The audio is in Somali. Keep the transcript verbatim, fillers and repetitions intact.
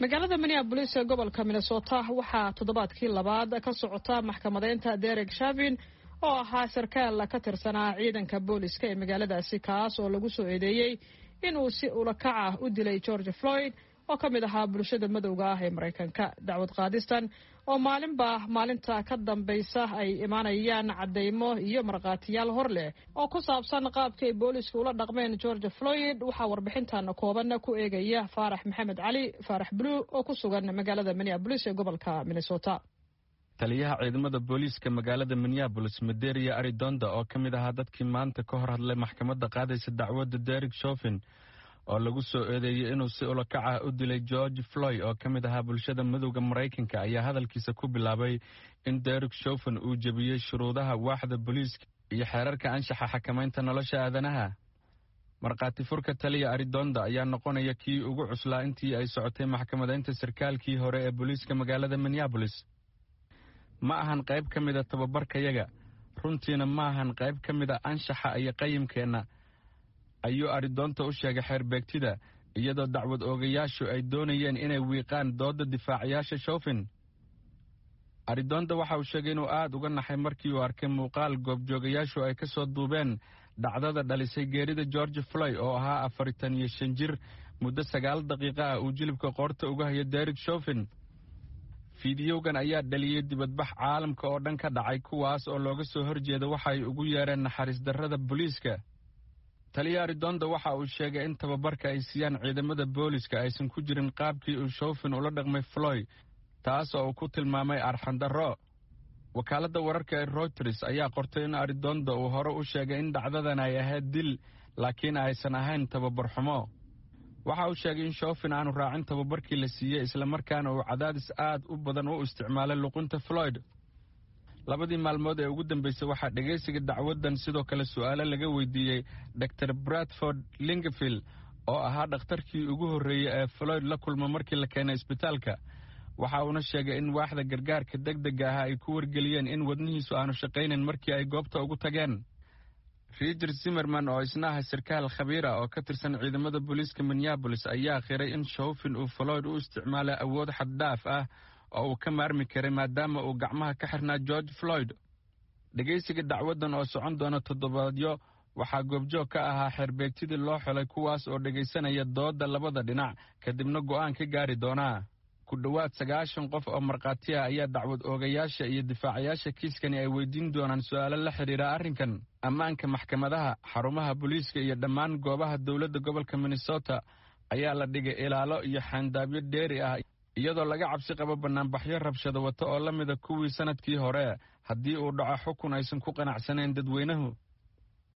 Magaalada Minneabolis ee gobolka Minnesota waxaa toddobaadkii labaad ka socota maxkamadeynta Derek Chauvin, oo ahaa sarkaal ka tirsanaa ciidanka booliska ee magaaladaasi, kaas oo lagu soo eedeeyey inuu si ulakac ah u dilay George Floyd, oo ka mid ahaa bulshada madowga ah ee Maraykanka. Dacwad qaadistan oo maalinba maalinta ka dambaysa ay imaanayaan caddaymo iyo markhaatiyaal hor leh oo ku saabsan qaabkii ay boolisku ula dhaqmeen George Floyd, waxaa warbixintan kooban ku eegaya Faarax Maxamed Cali, Faarax Blue, oo ku sugan magaalada Minneabolis ee gobolka Minnesota. Taliyaha ciidamada booliiska magaalada Minneabolis, Medaria Arradondo, oo ka mid ahaa dadkii maanta ka hor hadlay maxkamadda qaadaysa dacwadda Derek Chauvin, oo lagu soo eedeeyey inuu si ulakac ah u dilay George Floyd, oo ka mid ahaa bulshada madowga Maraykanka, ayaa hadalkiisa ku bilaabay in Derek Chauvin uu jebiyey shuruudaha waaxda booliiska iyo xeerarka anshaxa xakamaynta nolosha aadanaha. Markhaati furka taliya Arradondo ayaa noqonaya kii ugu cuslaa intii ay socotay maxkamadeynta sarkaalkii hore ee booliiska magaalada Minneabolis. "Ma ahan qayb ka mida tababarkayaga, runtiina ma ahan qayb ka mida anshaxa iyo qayimkeenna," ayuu Arradondo u sheegay xeerbeegtida, iyadoo dacwad oogayaashu ay doonayeen inay wiiqaan doodda difaacayaasha Chauvin. Arradondo waxa uu sheegay inuu aad uga naxay markii uu arkay muuqaal goobjoogayaashu ay ka soo duubeen dhacdada dhalisay geerida George Floyd, oo ahaa afartan iyo shan jir, muddo sagaal daqiiqo ah uu jilibka qoorta uga hayo Derek Chauvin. Fiidiyowgan ayaa dhaliyey dibadbax caalamka oo dhan ka dhacay, kuwaas oo looga soo horjeeda waxa ay ugu yeereen naxariis darrada booliiska. Taliya Arradondo waxa uu sheegay in tababarka ay siiyaan ciidamada booliska aysan ku jirin qaabkii uu Chauvin ula dhaqmay Floyd, taas oo uu ku tilmaamay arxandarro. Wakaaladda wararka ee Reuters ayaa qortay in Arradondo uu hore u sheegay in dhacdadan ay ahayd dil, laakiin aysan ahayn tababar xumo. Waxa uu sheegay in Chauvin aanu raacin tababarkii la siiyey, islamarkaana uu cadaadis aad u badan u isticmaalay luqunta Floyd. Labadii maalmood ee ugu dambeysay waxaa dhegaysiga dacwaddan sidoo kale su'aalo laga weydiiyey Doctor Bradford Lyngvild, oo ahaa dhakhtarkii ugu horreeyey ee Floyd la kulma markii la keenay isbitaalka. Waxa uuna sheegay in waaxda gargaarka degdega ah ay ku wargeliyeen in wadnihiisu aanu shaqaynayn markii ay goobta ugu tageen. Richard Zimmerman, oo isna ah sarkaal khabiir ah oo ka tirsan ciidamada booliiska Minneabolis, ayaa qiray in Chauvin uu Floyd u isticmaalay awood xaddhaaf ah oo uu ka maarmi karay, maadaama uu gacmaha ka xirnaa George Floyd. Dhegaysiga dacwaddan oo socon doona toddobaadyo waxaa goobjoog ka ahaa xeerbeegtidii loo xelay, kuwaas oo dhegaysanaya doodda labada dhinac, kadibna go'aan ka gaari doonaa. Ku dhowaad sagaashan qof oo markhaati ah ayaa dacwad oogayaasha iyo difaacayaasha kiiskani ay weydiin doonaan su'aalo la xidhiira arrinkan. Ammaanka maxkamadaha, xarumaha booliiska iyo dhammaan goobaha dowladda gobolka Minnesota ayaa la dhigay ilaalo iyo xaandaabyo dheeri ah, iyadoo laga cabsi qabo bannaanbaxyo rabshado wato oo la mida kuwii sannadkii hore haddii uu dhaco xukun aysan ku qanacsanayn dadweynuhu.